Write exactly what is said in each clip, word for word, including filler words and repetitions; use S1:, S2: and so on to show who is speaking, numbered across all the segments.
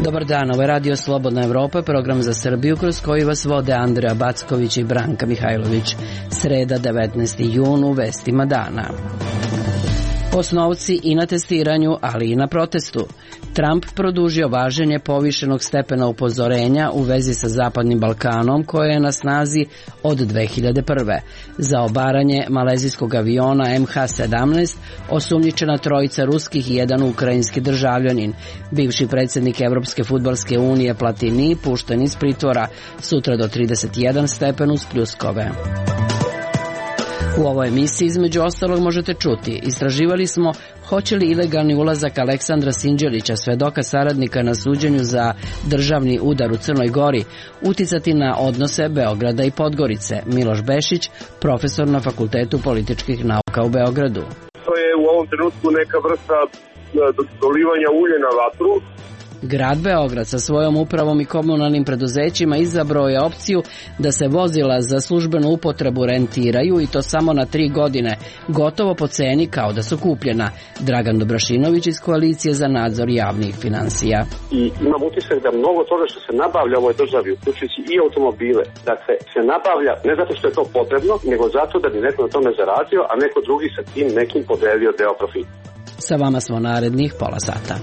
S1: Dobar dan, ovo je Radio Slobodna Evropa, program za Srbiju kroz koji vas vode Andreja Backović i Branka Mihajlović. Sreda, devetnaesti jun, u vestima dana. Osnovci i na testiranju, ali i na protestu. Trump produžio važenje povišenog stepena upozorenja u vezi sa Zapadnim Balkanom, koje je na snazi od dve hiljade prve. Za obaranje malezijskog aviona em ha sedamnaest osumnjičena trojica ruskih i jedan ukrajinski državljanin. Bivši predsjednik Evropske fudbalske unije Platini pušten iz pritvora, sutra do trideset jedan stepen uz pljuskove. U ovoj emisiji između ostalog možete čuti: istraživali smo hoće li ilegalni ulazak Aleksandra Sinđelića, svedoka saradnika na suđenju za državni udar u Crnoj Gori, uticati na odnose Beograda i Podgorice. Miloš Bešić, profesor na Fakultetu političkih nauka u Beogradu.
S2: To je u ovom trenutku neka vrsta dolivanja ulja na vatru.
S1: Grad Beograd sa svojom upravom i komunalnim preduzećima izabrao je opciju da se vozila za službenu upotrebu rentiraju, i to samo na tri godine, gotovo po ceni kao da su kupljena. Dragan Dobrašinović iz Koalicije za nadzor javnih finansija.
S3: I imam utisak da mnogo toga što se nabavlja u ovoj državi, uključujući i automobile, da se, se nabavlja ne zato što je to potrebno, nego zato da bi neko na tome zaradio, a neko drugi sa tim nekim podelio deo profita.
S1: Sa vama smo narednih pola sata.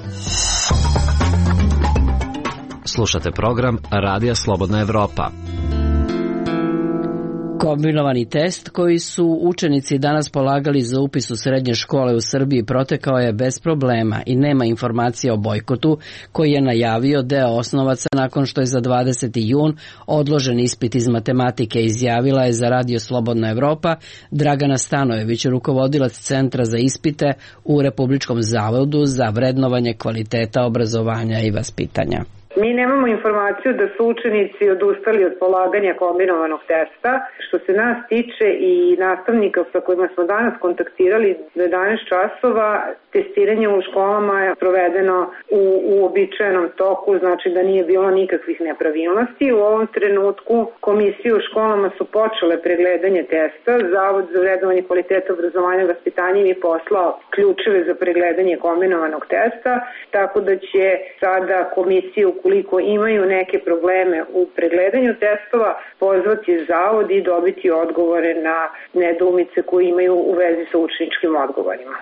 S4: Slušate program Radija Slobodna Evropa.
S1: Kombinovani test koji su učenici danas polagali za upis u srednje škole u Srbiji protekao je bez problema i nema informacija o bojkotu koji je najavio deo osnovaca nakon što je za dvadeseti jun odložen ispit iz matematike, izjavila je za Radio Slobodna Evropa Dragana Stanojević, rukovodilac Centra za ispite u Republičkom zavodu za vrednovanje kvaliteta obrazovanja i vaspitanja.
S5: Mi nemamo informaciju da su učenici odustali od polaganja kombinovanog testa. Što se nas tiče i nastavnika sa kojima smo danas kontaktirali, do jedanaest časova testiranje u školama je provedeno u uobičajenom toku, znači da nije bilo nikakvih nepravilnosti. U ovom trenutku komisije u školama su počele pregledanje testa. Zavod za vrednovanje kvaliteta obrazovanja i vaspitanja im je poslao ključeve za pregledanje kombinovanog testa, tako da će sada komisije, ukoliko imaju neke probleme u pregledanju testova, pozvati zavod i dobiti odgovore na nedoumice koje imaju u vezi sa učeničkim odgovorima.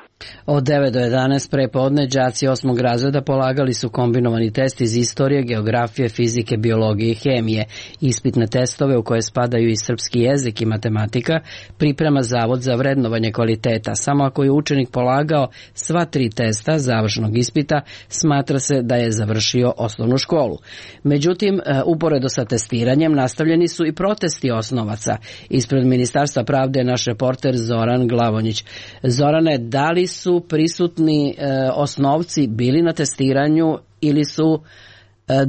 S1: Od devet do jedanaest prepodne đaci osmog razreda polagali su kombinovani test iz istorije, geografije, fizike, biologije i hemije. Ispitne testove, u koje spadaju i srpski jezik i matematika, priprema Zavod za vrednovanje kvaliteta. Samo ako je učenik polagao sva tri testa završnog ispita, smatra se da je završio osnovnu školu. Međutim, uporedo sa testiranjem nastavljeni su i protesti osnovaca. Ispred Ministarstva pravde je naš reporter Zoran Glavonjić. Zorane, da li su prisutni e, osnovci bili na testiranju ili su e,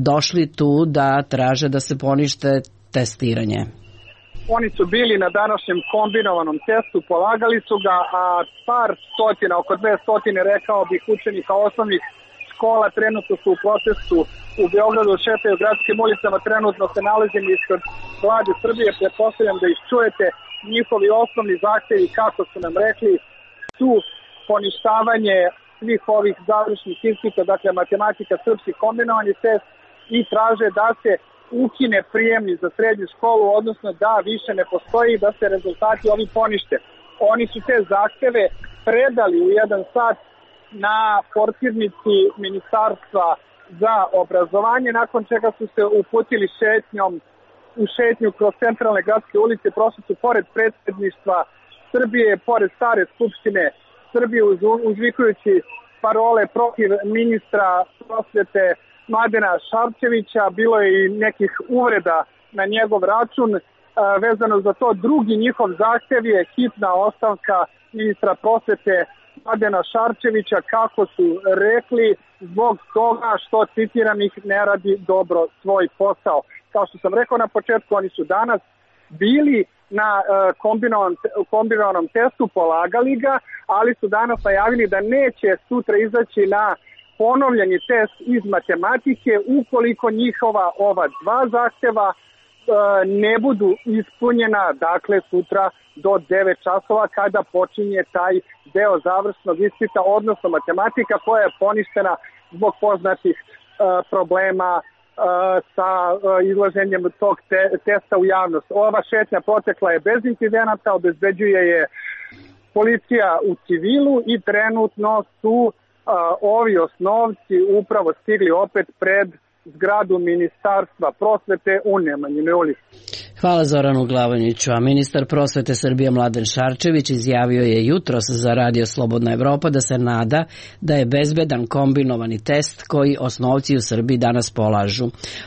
S1: došli tu da traže da se ponište testiranje?
S6: Oni su bili na današnjem kombinovanom testu, polagali su ga, a par stotina, oko dve stotine, rekao bih, učenika osnovnih škola trenutno su u protestu u Beogradu, šetaju gradskim ulicama, trenutno se nalazimo ispred Vlade Srbije, pretpostavljam da ih čujete. Njihovi osnovni zahtevi, kako su nam rekli, su poništavanje svih ovih završnih ispita, dakle matematika, srpski kombinovani test, i traže da se ukine prijemni za srednju školu, odnosno da više ne postoji, da se rezultati ovi ponište. Oni su te zahteve predali u jedan sat na portirnici Ministarstva za obrazovanje, nakon čega su se uputili šetnjom u šetnju kroz centralne gradske ulice, prošli su pored predsjedništva Srbije, pored stare skupštine Srbije, uzvikujući parole protiv ministra prosvete Mladena Šarčevića. Bilo je i nekih uvreda na njegov račun. Vezano za to, drugi njihov zahtev je hitna ostavka ministra prosvete Mladena Šarčevića, kako su rekli, zbog toga što, citiram ih, ne radi dobro svoj posao. Kao što sam rekao na početku, oni su danas bili na uh, kombinovanom, kombinovanom testu, polagali ga, ali su danas najavili da neće sutra izaći na ponovljeni test iz matematike ukoliko njihova ova dva zahteva ne budu ispunjena, dakle sutra do devet časova kada počinje taj deo završnog ispita, odnosno matematika koja je poništena zbog poznatih uh, problema uh, sa uh, izlaženjem tog te, testa u javnost. Ova šetnja protekla je bez incidenata, obezbeđuje je policija u civilu i trenutno su uh, ovi osnovci upravo stigli opet pred zgradu Ministarstva prosvete u Nemanjinoj ulici.
S1: Hvala Zoranu Glavonjiću, a ministar prosvete Srbije Mladen Šarčević izjavio je jutros za Radio Slobodna Evropa da se nada da je bezbedan kombinovani test koji osnovci u Srbiji danas polažu.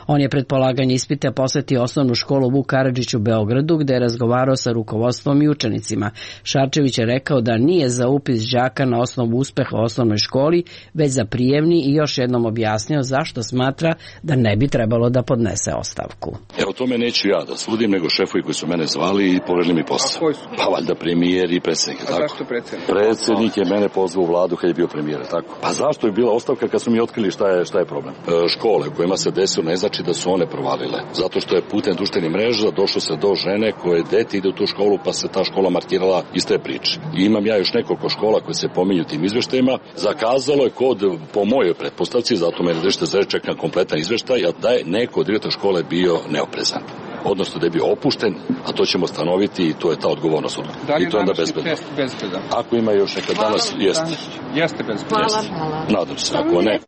S1: On je pred polaganje ispita posetio osnovnu školu Vuk Karadžić u Beogradu gde je razgovarao sa rukovodstvom i učenicima. Šarčević je rekao da nije za upis đaka na osnovu uspeha u osnovnoj školi, već za prijemni i još jednom objasnio zašto smatra da ne bi trebalo da podnese ostavku.
S7: Evo tome neću ja da sudim, nego šefovi koji su mene zvali i poverili mi posao.
S8: A koji su?
S7: Pa valjda premijer i predsjednik.
S8: A zašto predsjednik?
S7: Predsjednik je mene pozvao u vladu kad je bio premijer, tako. Pa zašto je bila ostavka kad su mi otkrili šta je, šta je problem? E, škole u kojima se desilo ne znači da su one provalile. Zato što je putem društvenih mreža došlo se do žene koje dete ide u tu školu pa se ta škola markirala iz te priče. I imam ja još nekoliko škola koje se pominju tim izveštajima. Zakazalo je kod, po mojoj pretpostavci, zato me držite za čekam kompletan izveštaj, da je neko od direktora škole bio neoprezan. Odnosno da je bio opušten, a to ćemo stanoviti i to je ta odgovornost.
S8: Da li
S7: I to je onda bezbedno.
S8: Test bezbedan?
S7: Ako ima još neka danas, jeste.
S8: Jeste bezbedan.
S1: Hvala.
S7: Nadam se, ako ne.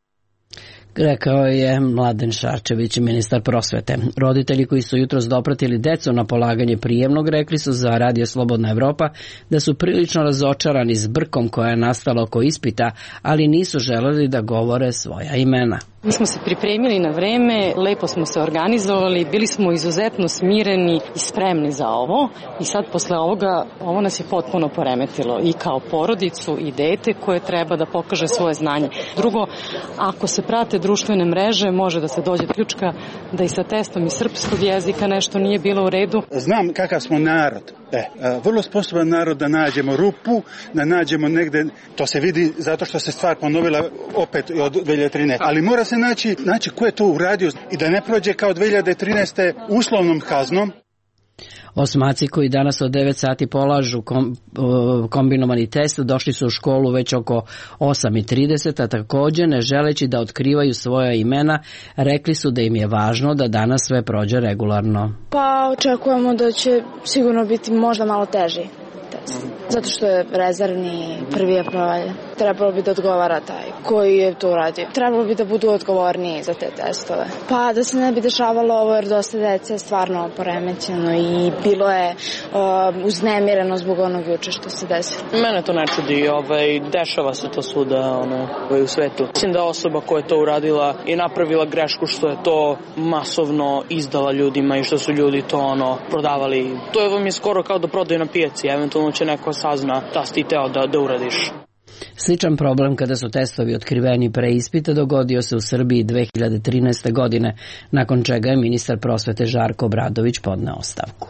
S1: Rekao je Mladen Šarčević, ministar prosvete. Roditelji koji su jutros dopratili decu na polaganje prijemnog rekli su za Radio Slobodna Evropa da su prilično razočarani zbrkom koja je nastala oko ispita, ali nisu želeli da govore svoja imena.
S9: Mi smo se pripremili na vreme, lepo smo se organizovali, bili smo izuzetno smireni i spremni za ovo i sad posle ovoga, ovo nas je potpuno poremetilo i kao porodicu i dete koje treba da pokaže svoje znanje. Drugo, ako se prate društvene mreže, može da se dođe do ključka da i sa testom iz srpskog jezika nešto nije bilo u redu.
S10: Znam kakav smo narod. E, vrlo sposoban narod da nađemo rupu, da nađemo negde, to se vidi zato što se stvar ponovila opet od dve hiljade trinaeste. Ali mora se naći, naći ko je to uradio i da ne prođe kao dve hiljade trinaeste uslovnom kaznom.
S1: Osmaci koji danas od devet sati polažu kom, kombinovani test došli su u školu već oko osam i trideset, a također ne želeći da otkrivaju svoja imena, rekli su da im je važno da danas sve prođe regularno.
S11: Pa očekujemo da će sigurno biti možda malo teži test. Zato što je rezervni, prvi je provaljen. Trebalo bi da odgovara taj koji je to uradio. Trebalo bi da budu odgovorniji za te testove. Pa da se ne bi dešavalo ovo jer dosta dece je stvarno poremećeno i bilo je uh, uznemireno zbog onog juče što se desilo.
S12: Mene to ne čudi, ovaj, dešava se to svuda ono, u svetu. Mislim da osoba koja je to uradila i napravila grešku što je to masovno izdala ljudima i što su ljudi to ono prodavali. To je vam je skoro kao da prodaju na pijaci, eventualno će neko sazna da si ti teo da, da uradiš.
S1: Sličan problem kada su testovi otkriveni pre ispita dogodio se u Srbiji dve hiljade trinaeste. godine, nakon čega je ministar prosvete Žarko Obradović podneo ostavku.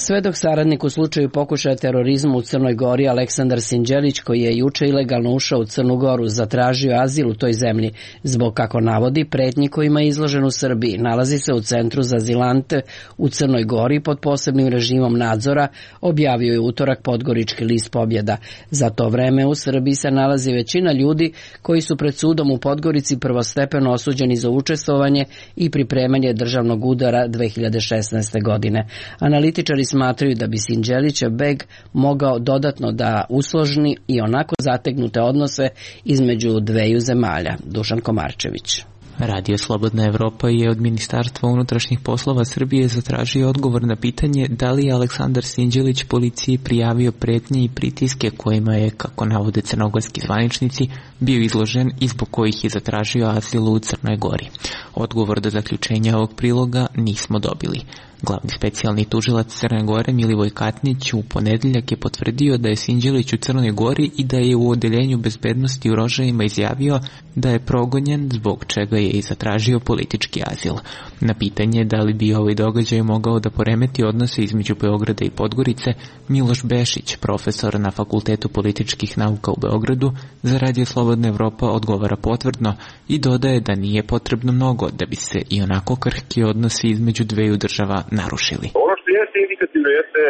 S1: Svedok saradnik u slučaju pokušaja terorizma u Crnoj Gori Aleksandar Sinđelić, koji je juče ilegalno ušao u Crnu Goru, zatražio azil u toj zemlji zbog, kako navodi, pretnji kojima je izložen u Srbiji. Nalazi se u centru za azilante u Crnoj Gori pod posebnim režimom nadzora, objavio je utorak Podgorički list Pobjeda. Za to vreme u Srbiji se nalazi većina ljudi koji su pred sudom u Podgorici prvostepeno osuđeni za učestvovanje i pripremanje državnog udara dve hiljade šesnaeste. godine. Analitičari smatraju da bi Sinđelića beg mogao dodatno da usložni i onako zategnute odnose između dveju zemalja. Dušan Komarčević.
S13: Radio Slobodna Evropa je od Ministarstva unutrašnjih poslova Srbije zatražio odgovor na pitanje da li je Aleksandar Sinđelić policiji prijavio pretnje i pritiske kojima je, kako navode crnogorski zvaničnici, bio izložen i zbog kojih je zatražio azil u Crnoj Gori. Odgovor do zaključenja ovog priloga nismo dobili. Glavni specijalni tužilac Crne Gore Milivoj Katnić u ponedeljak je potvrdio da je Sinđelić u Crnoj Gori i da je u odeljenju bezbednosti u Rožajima izjavio da je progonjen, zbog čega je i zatražio politički azil. Na pitanje da li bi ovaj događaj mogao da poremeti odnose između Beograda i Podgorice, Miloš Bešić, profesor na Fakultetu političkih nauka u Beogradu, za Radio Slobodna Evropa odgovara potvrdno i dodaje da nije potrebno mnogo da bi se i onako krhki odnosi između dveju država narušili.
S2: Ono što jeste indikativno jeste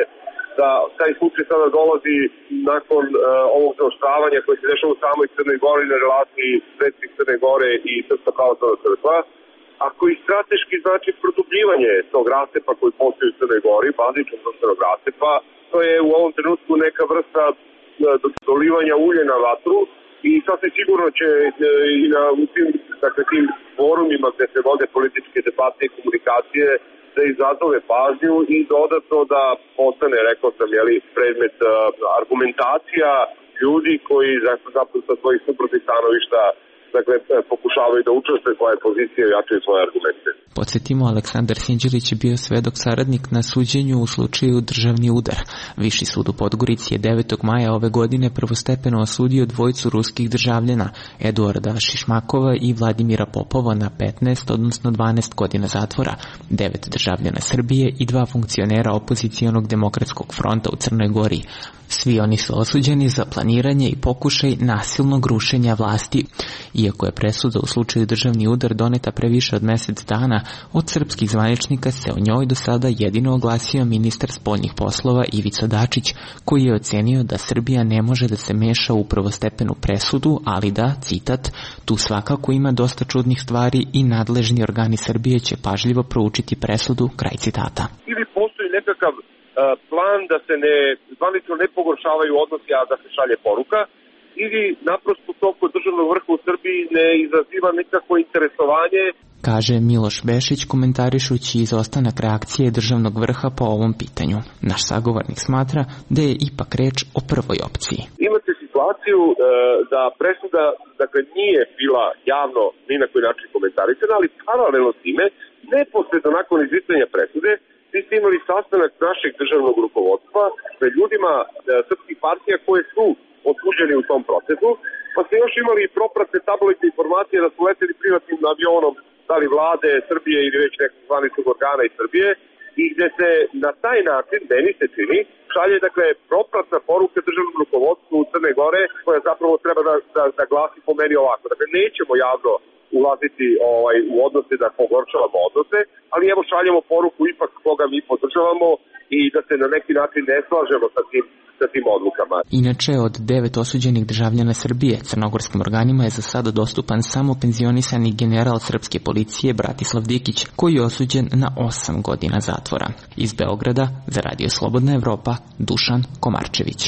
S2: da taj slučaj sada dolazi nakon uh, ovog zaoštravanja koje se dešava u samoj Crnoj Gori na relaciji predsjednik Crne Gore i Srpska pravoslavna crkva, a koji strateški znači produbljivanje tog rastepa koji postoji u Crnoj Gori, bazičnog društvenog rastepa. To je u ovom trenutku neka vrsta dolivanja ulje na vatru i sasvim sigurno će i na u tim, dakle, tim forumima gde se vode političke debate i komunikacije da izazove pažnju i dodatno da postane, rekao sam, jeli, predmet uh, argumentacija ljudi koji zapravo sa svojih suprotnih stanovišta, dakle, pokušavaju da učestvuju svoje pozicije i jačaju svoje argumente.
S13: Podsjetimo, Aleksandar Sinđelić je bio svedok saradnik na suđenju u slučaju Državni udar. Viši sud u Podgorici je devetog maja ove godine prvostepeno osudio dvojicu ruskih državljana, Eduarda Šišmakova i Vladimira Popova, na petnaest, odnosno dvanaest godina zatvora, devet državljana Srbije i dva funkcionera opozicionog demokratskog fronta u Crnoj Gori. Svi oni su osuđeni za planiranje i pokušaj nasilnog rušenja vlasti. Iako je presuda u slučaju Državni udar doneta pre više od mesec dana, od srpskih zvaničnika se o njoj do sada jedino oglasio ministar spoljnih poslova Ivica Dačić, koji je ocenio da Srbija ne može da se meša u prvostepenu presudu, ali da, citat, tu svakako ima dosta čudnih stvari i nadležni organi Srbije će pažljivo proučiti presudu, kraj citata.
S2: Ili postoji nekakav uh, plan da se ne zvanično ne pogoršavaju odnosi, a da se šalje poruka, ili naprosto to kod državnog vrha u Srbiji ne izaziva nikakvo interesovanje,
S13: kaže Miloš Bešić komentarišući izostanak reakcije državnog vrha po ovom pitanju. Naš sagovornik smatra da je ipak reč o prvoj opciji.
S2: Imate situaciju e, da presuda, dakle, nije bila javno ni na koji način komentarisana, ali paralelno s time, neposredno nakon izricanja presude, vi ste imali sastanak našeg državnog rukovodstva sa ljudima e, srpskih partija koje su osuđeni u tom procesu, pa ste još imali i propratne tabloidne informacije da su leteli privatnim avionom, da li vlade Srbije ili već nekog zvaničnog organa iz Srbije, i gde se na taj način, meni se čini, šalje, dakle, propratna poruka državnom rukovodstvu u Crne Gore, koja zapravo treba da, da, da glasi po meni ovako. Dakle, nećemo javno ulaziti ovaj, u odnose, da pogoršavamo odnose, ali evo šaljemo poruku ipak koga mi podržavamo i da se na neki način ne slažemo sa tim, sa tim odlukama.
S13: Inače, od devet osuđenih državljana Srbije, crnogorskim organima je za sada dostupan samo penzionisani general srpske policije Bratislav Dikić, koji je osuđen na osam godina zatvora. Iz Beograda, za Radio Slobodna Evropa, Dušan Komarčević.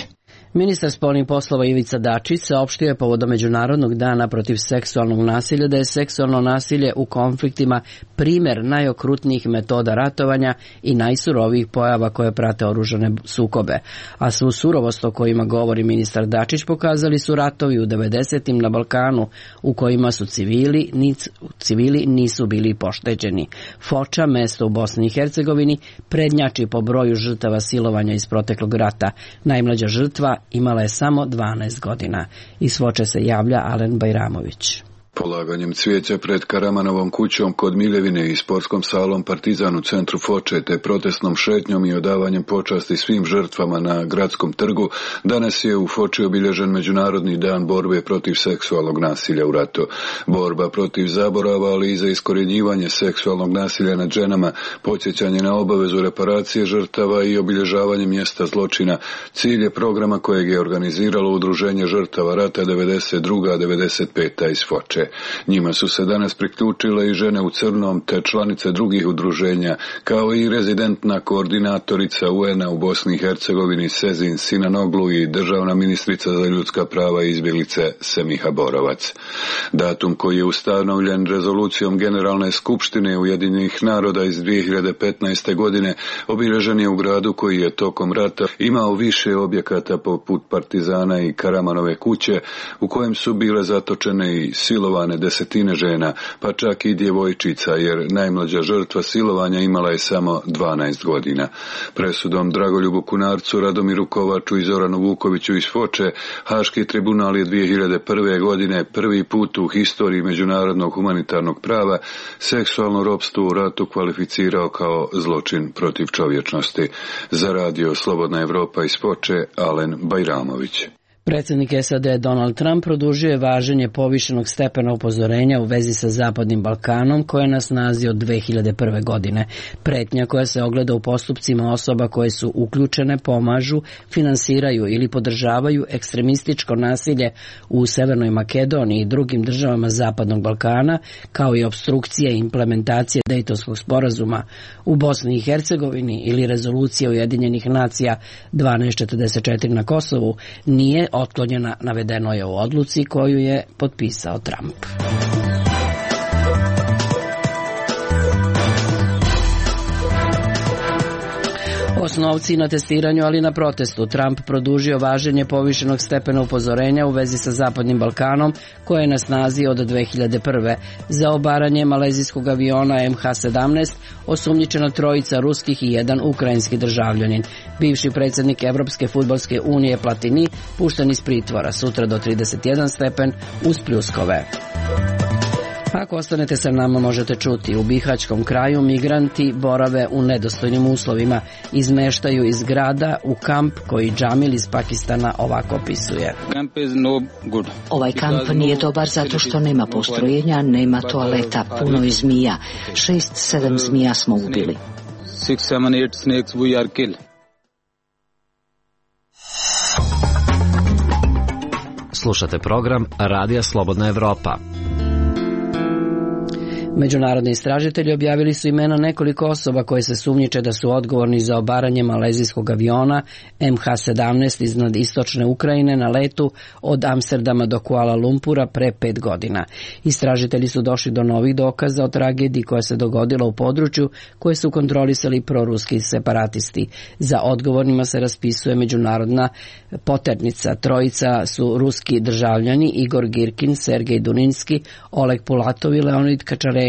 S1: Ministar spoljnih poslova Ivica Dačić saopštio je povodom Međunarodnog dana protiv seksualnog nasilja da je seksualno nasilje u konfliktima primer najokrutnijih metoda ratovanja i najsurovijih pojava koje prate oružane sukobe. A svu surovost o kojima govori ministar Dačić pokazali su ratovi u devedesetim na Balkanu, u kojima su civili, nic, civili nisu bili pošteđeni. Foča, mesto u Bosni i Hercegovini, prednjači po broju žrtava silovanja iz proteklog rata. Najmlađa žrtva imala je samo dvanaest godina. Iz Foče se javlja Alen Bajramović.
S14: Polaganjem cvijeća pred Karamanovom kućom kod Miljevine i sportskom salom Partizan u centru Foče, te protestnom šetnjom i odavanjem počasti svim žrtvama na gradskom trgu, danas je u Foči obilježen Međunarodni dan borbe protiv seksualnog nasilja u ratu. Borba protiv zaborava, ali i za iskorjenjivanje seksualnog nasilja nad ženama, podsjećanje na obavezu reparacije žrtava i obilježavanje mjesta zločina, cilj je programa kojeg je organiziralo Udruženje žrtava rata devedeset druga devedeset peta iz Foče. Njima su se danas priključile i žene u crnom te članice drugih udruženja, kao i rezidentna koordinatorica U N-a u Bosni i Hercegovini Sezin Sinanoglu i državna ministrica za ljudska prava i izbjeglice Semiha Borovac. Datum koji je ustanovljen rezolucijom Generalne skupštine Ujedinjenih naroda iz dvije hiljade petnaeste. godine obilježen je u gradu koji je tokom rata imao više objekata poput Partizana i Karamanove kuće, u kojem su bile zatočene i silovane silovane desetine žena, pa čak i djevojčica, jer najmlađa žrtva silovanja imala je samo dvanaest godina. Presudom Dragoljubu Kunarcu, Radomiru Kovaču i Zoranu Vukoviću iz Foče, Haški tribunal je dvije hiljade prve. godine prvi put u historiji međunarodnog humanitarnog prava seksualno ropstvo u ratu kvalificirao kao zločin protiv čovječnosti. Za radio Slobodna Evropa iz Foče, Alen Bajramović.
S1: Predsjednik S A D Donald Trump produžio je važenje povišenog stepena upozorenja u vezi sa Zapadnim Balkanom koje je na snazi od dve hiljade prve. godine. Pretnja koja se ogleda u postupcima osoba koje su uključene, pomažu, finansiraju ili podržavaju ekstremističko nasilje u Severnoj Makedoniji i drugim državama Zapadnog Balkana, kao i opstrukcije i implementacije Dejtonskog sporazuma u Bosni i Hercegovini ili rezolucija Ujedinjenih nacija dvanaest četrdeset četiri na Kosovu, nije otklonjena, navedeno je u odluci koju je potpisao Trump. Osnovci na testiranju, ali na protestu. Trump produžio važenje povišenog stepena upozorenja u vezi sa Zapadnim Balkanom, koje je na snazi od dve hiljade prve. Za obaranje malezijskog aviona M H sedamnaest osumnjičena trojica ruskih i jedan ukrajinski državljanin. Bivši predsjednik Evropske fudbalske unije Platini pušten iz pritvora, sutra do trideset jedan stepen uz pljuskove. Ako ostanete sa nama, možete čuti, u Bihaćkom kraju migranti borave u nedostojnim uslovima, izmeštaju iz grada u kamp koji Džamil iz Pakistana ovako opisuje.
S15: Ovaj kamp nije dobar zato što nema postrojenja, nema toaleta, puno je zmija. Šest, sedam zmija smo ubili.
S4: Slušate program Radija Slobodna Evropa.
S1: Međunarodni istražitelji objavili su imena nekoliko osoba koje se sumnjiče da su odgovorni za obaranje malezijskog aviona M H sedamnaest iznad istočne Ukrajine na letu od Amsterdama do Kuala Lumpura pre pet godina. Istražitelji su došli do novih dokaza o tragediji koja se dogodila u području koje su kontrolisali proruski separatisti. Za odgovornima se raspisuje međunarodna poternica. Trojica su ruski državljani Igor Girkin, Sergej Duninski, Oleg Pulatov i Leonid Kačarenko,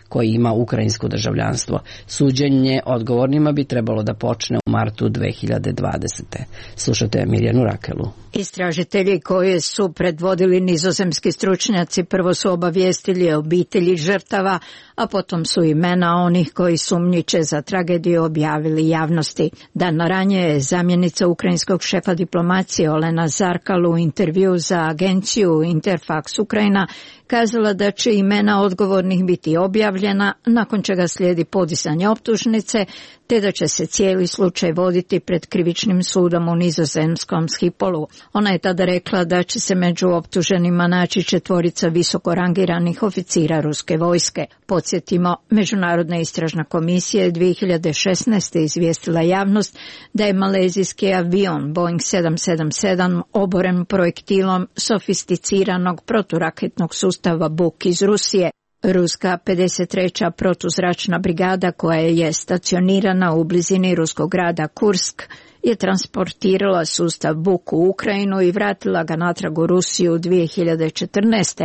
S1: koji ima ukrajinsko državljanstvo. Suđenje odgovornima bi trebalo da počne u martu dve hiljade dvadesete. Slušate Mirjanu Rakelu.
S16: Istražitelji koje su predvodili nizozemski stručnjaci prvo su obavijestili obitelji žrtava, a potom su imena onih koji sumnjiče za tragediju objavili javnosti. Dan ranije je zamjenica ukrajinskog šefa diplomacije Olena Zarkal u intervju za agenciju Interfax Ukrajina kazala da će imena odgovornih biti objavljena, nakon čega slijedi podizanje optužnice, te da će se cijeli slučaj voditi pred krivičnim sudom u nizozemskom Schipolu. Ona je tada rekla da će se među optuženima naći četvorica visoko rangiranih oficira ruske vojske. Podsjetimo, Međunarodna istražna komisija je dvije hiljade šesnaeste. izvijestila javnost da je malezijski avion Boeing sedam sedam sedam oboren projektilom sofisticiranog proturaketnog sustava Buk iz Rusije. Ruska pedeset treća protuzračna brigada koja je stacionirana u blizini ruskog grada Kursk je transportirala sustav Buk u Ukrajinu i vratila ga natrag u Rusiju dvije hiljade četrnaeste.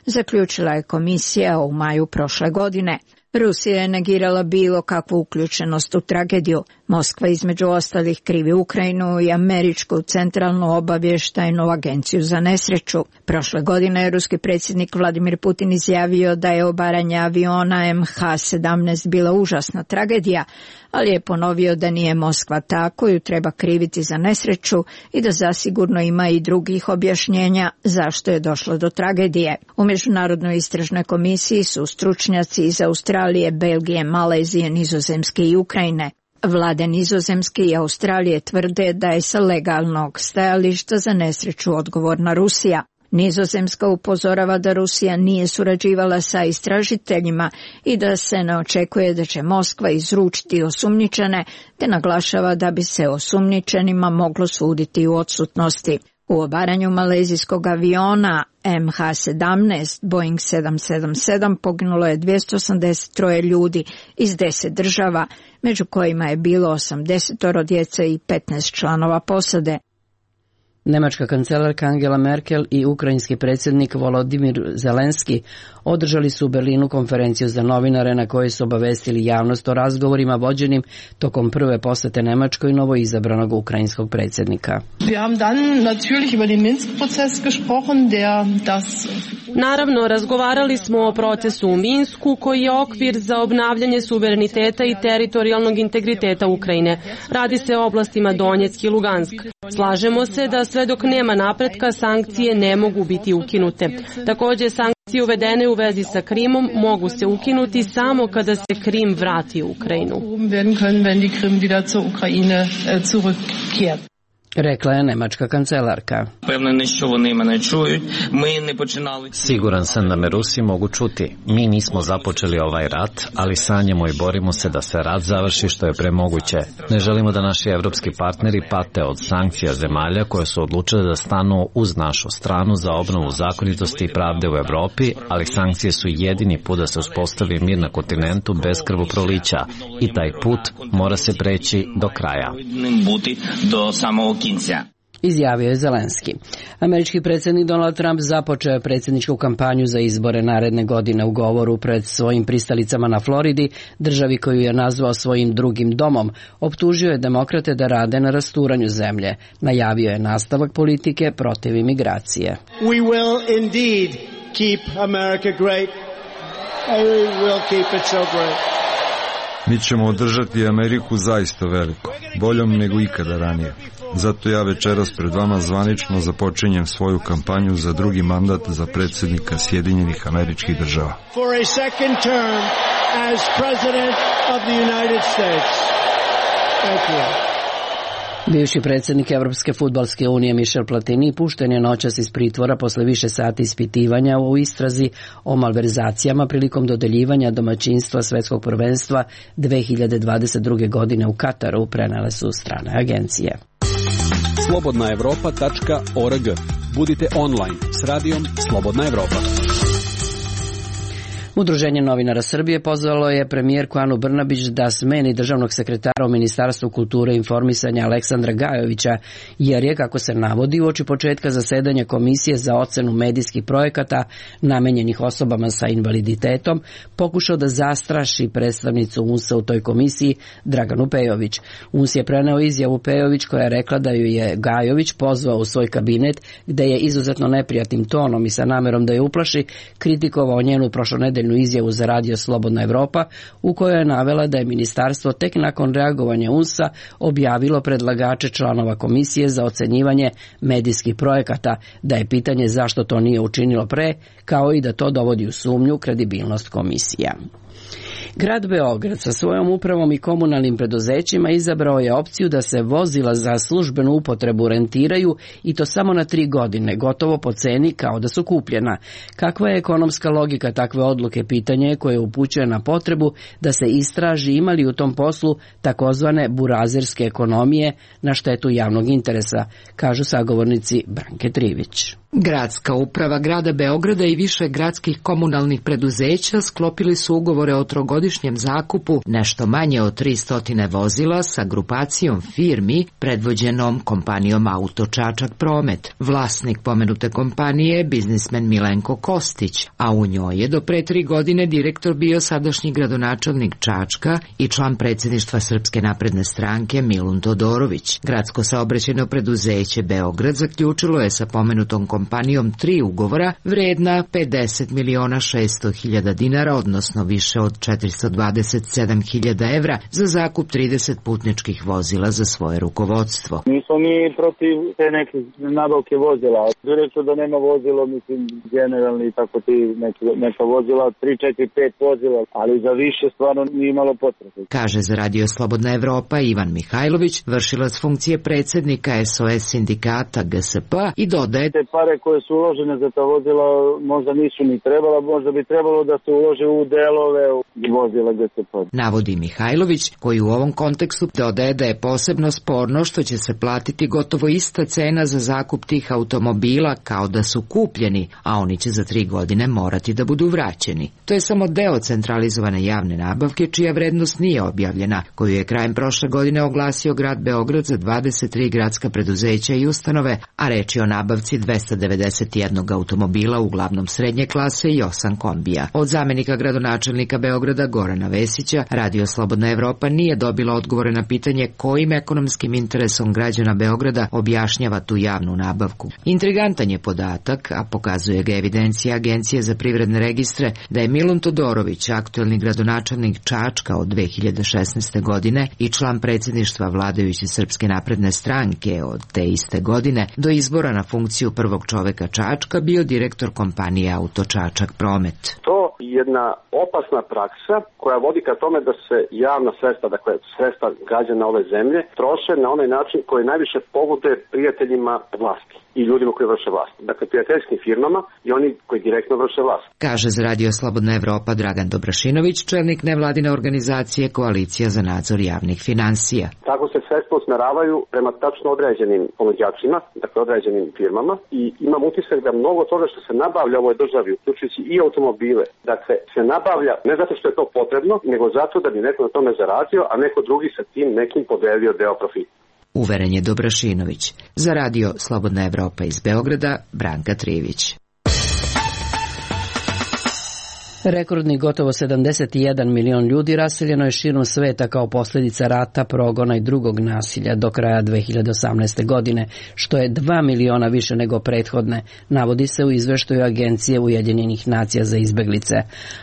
S16: zaključila je komisija u maju prošle godine. Rusija je negirala bilo kakvu uključenost u tragediju. Moskva između ostalih krivi Ukrajinu i Američku centralnu obavještajnu agenciju za nesreću. Prošle godine je ruski predsjednik Vladimir Putin izjavio da je obaranje aviona M H sedamnaest bila užasna tragedija, ali je ponovio da nije Moskva ta koju treba kriviti za nesreću i da zasigurno ima i drugih objašnjenja zašto je došlo do tragedije. U Međunarodnoj istražnoj komisiji su stručnjaci iz Australije, Belgije, Malezije, Nizozemske i Ukrajine. Vlade Nizozemske i Australije tvrde da je sa legalnog stajališta za nesreću odgovorna Rusija. Nizozemska upozorava da Rusija nije surađivala sa istražiteljima i da se ne očekuje da će Moskva izručiti osumnjičene, te naglašava da bi se osumnjičenima moglo suditi u odsutnosti. U obaranju malezijskog aviona M H sedamnaest Boeing sedam sedam sedam poginulo je dvjesto osamdeset tri ljudi iz deset država, među kojima je bilo osamdeset djece i petnaest članova posade.
S1: Nemačka kancelarka Angela Merkel i ukrajinski predsjednik Volodimir Zelenski održali su u Berlinu konferenciju za novinare na kojoj su obavestili javnost o razgovorima vođenim tokom prve posete Nemačkoj novoizabranog ukrajinskog predsjednika.
S17: Naravno, razgovarali smo o procesu u Minsku koji je okvir za obnavljanje suvereniteta i teritorijalnog integriteta Ukrajine. Radi se o oblastima Donjeck i Lugansk. Slažemo se da sve dok nema napretka sankcije ne mogu biti ukinute. Također sankcije uvedene u vezi sa Krimom mogu se ukinuti samo kada se Krim vrati u Ukrajinu.
S1: Rekla je nemačka kancelarka.
S4: Siguran sam da me Rusi mogu čuti. Mi nismo započeli ovaj rat, ali sanjamo i borimo se da se rat završi što je premoguće. Ne želimo da naši evropski partneri pate od sankcija zemalja koje su odlučile da stanu uz našu stranu za obnovu zakonitosti i pravde u Evropi, ali sankcije su jedini put da se uspostavi mir na kontinentu bez krvoprolića i taj put mora se preći do kraja.
S1: Izjavio je Zelenski. Američki predsjednik Donald Trump započeo je predsjedničku kampanju za izbore naredne godine u govoru pred svojim pristalicama na Floridi, državi koju je nazvao svojim drugim domom. Optužio je demokrate da rade na rasturanju zemlje. Najavio je nastavak politike protiv imigracije.
S18: We will indeed keep America great. We will keep it so great.
S19: Mi ćemo održati Ameriku zaista veliko, boljom nego ikada ranije. Zato ja večeras pred vama zvanično započinjem svoju kampanju za drugi mandat za predsjednika Sjedinjenih Američkih Država.
S18: For a second term as president of the United States. Thank you.
S1: Bivši predsjednik Evropske fudbalske unije Michel Platini pušten je noćas iz pritvora posle više sati ispitivanja u istrazi o malverzacijama prilikom dodeljivanja domaćinstva Svetskog prvenstva dve hiljade dvadeset druge. godine u Kataru, prenele su strane agencije.
S20: slobodna evropa tačka org. Budite online s radijom Slobodna Evropa.
S1: Udruženje novinara Srbije pozvalo je premijerku Anu Brnabić da smeni državnog sekretara u Ministarstvu kulture i informisanja Aleksandra Gajovića, jer je, kako se navodi, uoči početka zasedanja Komisije za ocenu medijskih projekata namenjenih osobama sa invaliditetom pokušao da zastraši predstavnicu U N S A u toj komisiji Draganu Pejović. U N S je preneo izjavu Pejović koja je rekla da ju je Gajović pozvao u svoj kabinet, gde je izuzetno neprijatnim tonom i sa namerom da je uplaši kritikovao njenu prošlonedeljnu izjavu za radio Slobodna Evropa, u kojoj je navela da je ministarstvo tek nakon reagovanja U N S A objavilo predlagače članova komisije za ocenjivanje medijskih projekata, da je pitanje zašto to nije učinilo pre, kao i da to dovodi u sumnju kredibilnost komisija. Grad Beograd sa svojom upravom i komunalnim preduzećima izabrao je opciju da se vozila za službenu upotrebu rentiraju i to samo na tri godine, gotovo po ceni kao da su kupljena. Kakva je ekonomska logika takve odluke, pitanje koje upućuje na potrebu da se istraži imali u tom poslu takozvane burazerske ekonomije na štetu javnog interesa, kažu sagovornici Branke Trivić.
S21: Gradska uprava grada Beograda i više gradskih komunalnih preduzeća sklopili su ugovore o trogodišnjem zakupu nešto manje od tristo vozila sa grupacijom firmi predvođenom kompanijom Auto Čačak Promet. Vlasnik pomenute kompanije je biznismen Milenko Kostić, a u njoj je do pre tri godine direktor bio sadašnji gradonačelnik Čačka i član predsjedništva Srpske napredne stranke Milun Todorović. Gradsko saobraćajno preduzeće Beograd zaključilo je sa pomenutom kompanijom tri ugovora vredna pedeset miliona šesto hiljada dinara, odnosno više od četiristo dvadeset sedam hiljada evra za zakup trideset putničkih vozila za svoje rukovodstvo.
S22: Nismo mi protiv te neke nabavke vozila. Direktno da nema vozilo, mislim, generalni tako ti neke, neka vozila, tri, četiri, pet vozila, ali za više stvarno nije imalo potrebe.
S21: Kaže za radio Slobodna Evropa Ivan Mihajlović, vršilac funkcije predsjednika S O S sindikata G S P, i dodaje:
S22: te pare pare koje su uložene za ta vozila možda nisu ni trebala, možda bi trebalo da se ulože u delove u vozila gde se pod.
S21: Navodi Mihajlović, koji u ovom kontekstu dodaje da je posebno sporno što će se platiti gotovo ista cena za zakup tih automobila kao da su kupljeni, a oni će za tri godine morati da budu vraćeni. To je samo deo centralizovane javne nabavke čija vrednost nije objavljena, koju je krajem prošle godine oglasio grad Beograd za dvadeset tri gradska preduzeća i ustanove, a reč je o nabavci dvesta devedeset jedan automobila, uglavnom srednje klase i osam kombija. Od zamenika gradonačelnika Beograda Gorana Vesića, Radio Slobodna Evropa nije dobila odgovore na pitanje kojim ekonomskim interesom građana Beograda objašnjava tu javnu nabavku. Intrigantan je podatak, a pokazuje ga evidencija Agencije za privredne registre, da je Milun Todorović, aktuelni gradonačelnik Čačka od dve hiljade šesnaeste godine i član predsjedništva vladajuće Srpske napredne stranke od te iste godine, do izbora na funkciju prvog čoveka Čačka bio direktor kompanije Auto Čačak Promet.
S3: To je jedna opasna praksa koja vodi ka tome da se javna sredstva, dakle sredstva građana ove zemlje, troše na onaj način koji najviše pogoduje prijateljima vlasti i ljudima koji vrše vlast. Dakle, prijateljskim firmama i oni koji direktno vrše vlast.
S21: Kaže za Radio Slobodna Evropa Dragan Dobrašinović, čelnik nevladine organizacije Koalicija za nadzor javnih finansija.
S3: Tako se sredstva usmeravaju prema tačno određenim ponuđačima, dakle određenim firmama, i imam utisak da mnogo toga što se nabavlja u ovoj državi, uključujući i automobile, dakle se nabavlja ne zato što je to potrebno, nego zato da bi neko na tome zaradio, a neko drugi sa tim nekim podelio deo profita.
S21: Uveren je Dobrašinović. Za Radio Slobodna Evropa iz Beograda, Branka Trivić.
S1: Rekordni gotovo sedamdeset jedan milion ljudi raseljeno je širom sveta kao posljedica rata, progona i drugog nasilja do kraja dve hiljade osamnaeste. godine, što je dva miliona više nego prethodne, navodi se u izveštaju Agencije Ujedinjenih nacija za izbeglice.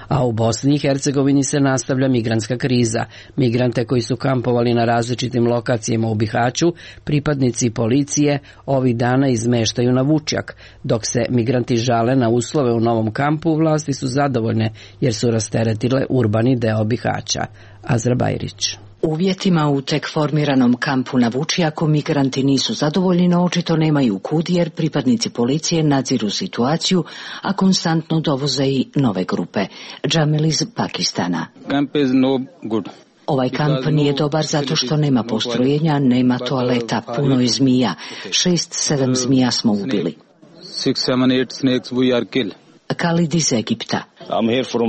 S1: A u Bosni i Hercegovini se nastavlja migrantska kriza. Migrante koji su kampovali na različitim lokacijama u Bihaću, pripadnici policije ovih dana izmeštaju na Vučjak. Dok se migranti žale na uslove u novom kampu, vlasti su zadovoljne jer su rasteretile urbani deo Bihaća. Azra Bajrić.
S15: Uvjetima u tek formiranom kampu na Vučjaku migranti nisu zadovoljni, no očito nemaju kud jer pripadnici policije nadziru situaciju, a konstantno dovoze i nove grupe. Džamil iz Pakistana.
S8: Camp is no good.
S15: Ovaj kamp nije dobar zato što nema postrojenja, nema toaleta, puno je zmija. Šest, sedam zmija smo ubili.
S8: Six, seven, eight snakes we are killed.
S15: Khalid iz Egipta.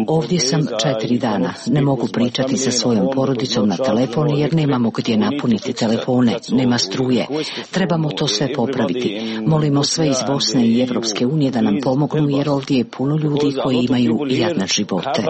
S15: Ovdje sam četiri dana. Ne mogu pričati sa svojom porodicom na telefon jer nemamo gdje napuniti telefone, nema struje. Trebamo to sve popraviti. Molimo sve iz Bosne i Evropske unije da nam pomognu jer ovdje je puno ljudi koji imaju jadne živote.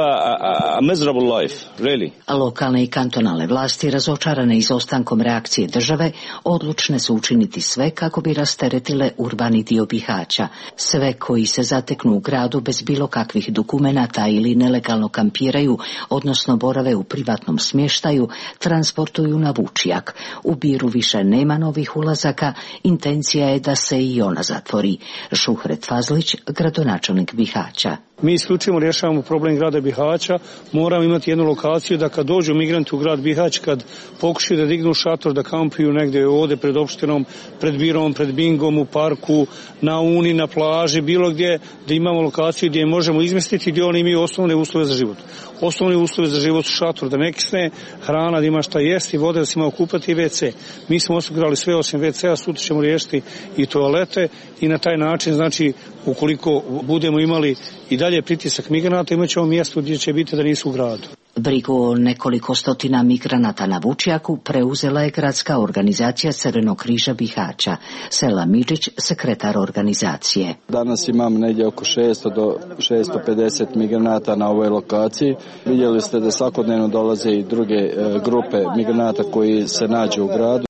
S15: Lokalne i kantonalne vlasti, razočarane izostankom reakcije države, odlučne su učiniti sve kako bi rasteretile urbani dio Bihaća. Sve koji se zateknu u gradu bez bilo kakvih dokumenata ili nelegalno kampiraju, odnosno borave u privatnom smještaju, transportuju na Vučjak. U Biru više nema novih ulazaka, intencija je da se i ona zatvori. Šuhret Fazlić, gradonačelnik Bihaća.
S5: Mi isključivo rješavamo problem grada Bihaća, moramo imati jednu lokaciju da kad dođu migranti u grad Bihać, kad pokušaju da dignu šator, da kampuju negdje ovdje pred opštinom, pred Birom, pred Bingom, u parku, na Uni, na plaži, bilo gdje, da imamo lokaciju gdje možemo izmestiti, gdje oni imaju osnovne uslove za život. Osnovni uslove za život su šator, da ne kisne, hrana, da ima šta jesti, vode, da se ima okupati i ve ce. Mi smo osigurali sve osim ve ce a, sutra ćemo riješiti i toalete i na taj način, znači, ukoliko budemo imali i dalje pritisak migranata, imat ćemo mjesto gdje će biti da nisu u gradu.
S15: Brigu o nekoliko stotina migranata na Vučjaku preuzela je gradska organizacija Crvenog križa Bihaća. Sela Midžić, sekretar organizacije.
S23: Danas imam negdje oko šesto do šesto pedeset migranata na ovoj lokaciji. Vidjeli ste da svakodnevno dolaze i druge e, grupe migranata koji se nađu u gradu.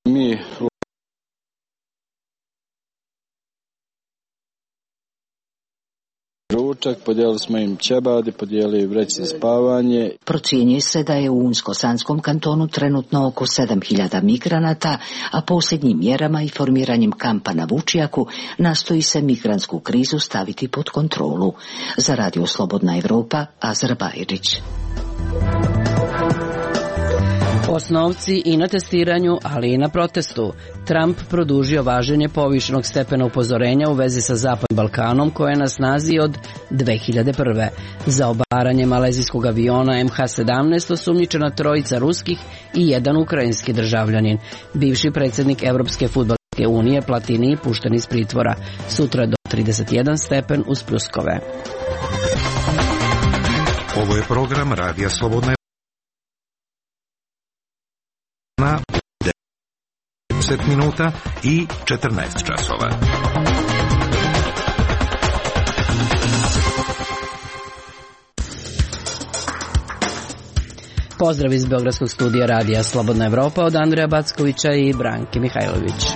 S23: Mi ručak, podijelili smo im ćebadi, podijelili vreće za spavanje.
S15: Procjenjuje se da je u Unsko-Sanskom kantonu trenutno oko sedam hiljada migranata, a posljednjim mjerama i formiranjem kampa na Vučjaku nastoji se migrantsku krizu staviti pod kontrolu. Za Radio Slobodna Evropa, Azra Bajrić.
S1: Osnovci i na testiranju, ali i na protestu. Trump produžio važenje povišenog stepena upozorenja u vezi sa Zapadnim Balkanom koje je na snazi od dve hiljade prve. Za obaranje malezijskog aviona M H sedamnaest osumnjičena trojica ruskih i jedan ukrajinski državljanin. Bivši predsjednik Evropske fudbalske unije Platini pušten iz pritvora. Sutra do trideset jedan stepen uz pljuskove.
S6: Ovo je program Radija Slobodna na deset minuta i četrnaest časova.
S1: Pozdrav iz Beogradskog studija Radija Slobodna Evropa od Andreja Backovića i Branke Mihajlović.